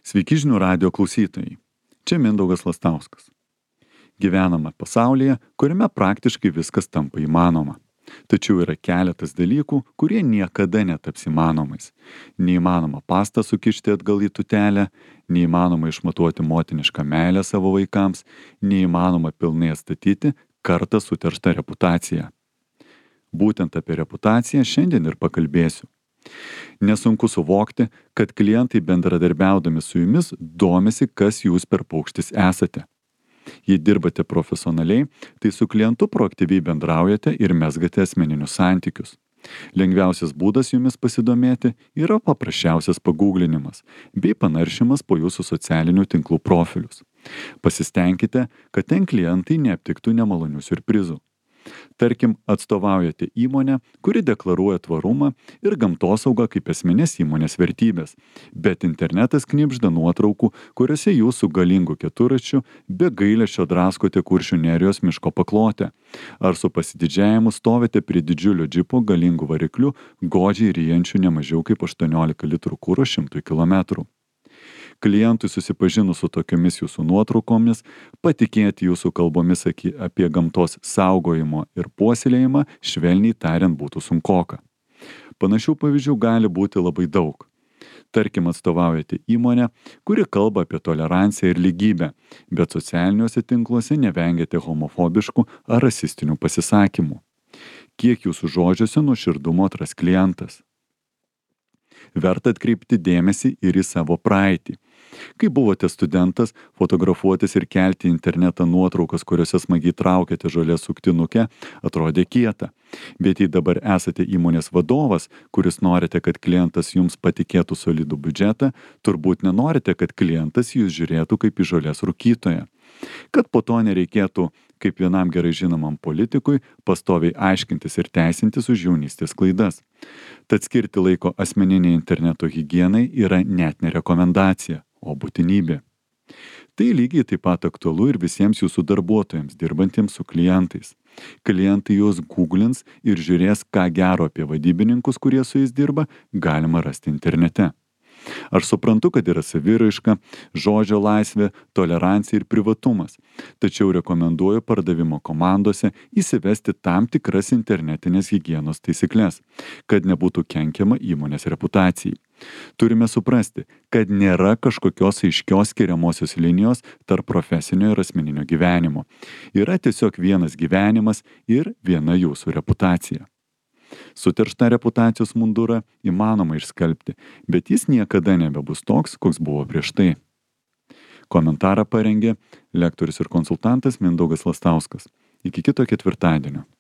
Sveiki žinių radio klausytojai. Čia Mindaugas Lastauskas. Gyvename pasaulyje, kuriame praktiškai viskas tampa įmanoma. Tačiau yra keletas dalykų, kurie niekada netaps įmanomais. Neįmanoma pastą sukišti atgal į tutelę, neįmanoma išmatuoti motinišką meilę savo vaikams, neįmanoma pilnai atstatyti kartą suterštą reputaciją. Būtent apie reputaciją šiandien ir pakalbėsiu. Nesunku suvokti, kad klientai bendradarbiaudami su jumis domisi, kas jūs per paukštis esate. Jei dirbate profesionaliai, tai su klientu proaktyviai bendraujate ir mezgate asmeninius santykius. Lengviausias būdas jumis pasidomėti yra paprasčiausias pagūglinimas bei panaršimas po jūsų socialinių tinklų profilius. Pasistengkite, kad ten klientai neaptiktų nemalonių siurprizų. Tarkim, atstovaujate įmonę, kuri deklaruoja tvarumą ir gamtosaugą kaip esminės įmonės vertybės, bet internetas knibžda nuotraukų, kuriuose jūs su galingu keturračiu be gailesčio draskote Kuršių nerijos miško paklotę, ar su pasididžiavimu stovite prie didžiulio džipo galingu varikliu, godžiai ryjančiu ne mažiau kaip 18 litrų kuro 100 km. Klientui susipažinus su tokiomis jūsų nuotraukomis, patikėti jūsų kalbomis apie gamtos saugojimo ir puoselėjimą, švelniai tariant, būtų sunkoka. Panašių pavyzdžių gali būti labai daug. Tarkim, atstovaujate įmonę, kuri kalba apie toleranciją ir lygybę, bet socialiniuose tinkluose nevengiate homofobiškų ar rasistinių pasisakymų. Kiek jūsų žodžiuose nuoširdumo atras klientas? Verta atkreipti dėmesį ir į savo praeitį. Kai buvote studentas, fotografuotis ir kelti į internetą nuotraukas, kuriuose smagiai traukėte žolės suktinukę, atrodė kieta. Bet jei dabar esate įmonės vadovas, kuris norite, kad klientas jums patikėtų solidų biudžetą, turbūt nenorite, kad klientas jūs žiūrėtų kaip į žolės rūkytoją. Kad po to nereikėtų, kaip vienam gerai žinomam politikui, pastoviai aiškintis ir teisintis už jaunystės klaidas. Tad skirti laiko asmeniniai interneto higienai yra net ne rekomendacija, o būtinybė. Tai lygiai taip pat aktualu ir visiems jūsų darbuotojams, dirbantiems su klientais. Klientai juos googlins ir žiūrės, ką gero apie vadybininkus, kurie su jais dirba, galima rasti internete. Aš suprantu, kad yra saviraiška, žodžio laisvė, tolerancija ir privatumas, tačiau rekomenduoju pardavimo komandose įsivesti tam tikras internetinės higienos taisyklės, kad nebūtų kenkiama įmonės reputacijai. Turime suprasti, kad nėra kažkokios aiškios skiriamosios linijos tarp profesinio ir asmeninio gyvenimo. Yra tiesiog vienas gyvenimas ir viena jūsų reputacija. Suterštą reputacijos mundurą įmanoma išskalbti, bet jis niekada nebebus toks, koks buvo prieš tai. Komentarą parengė lektorius ir konsultantas Mindaugas Lastauskas. Iki kito ketvirtadienio.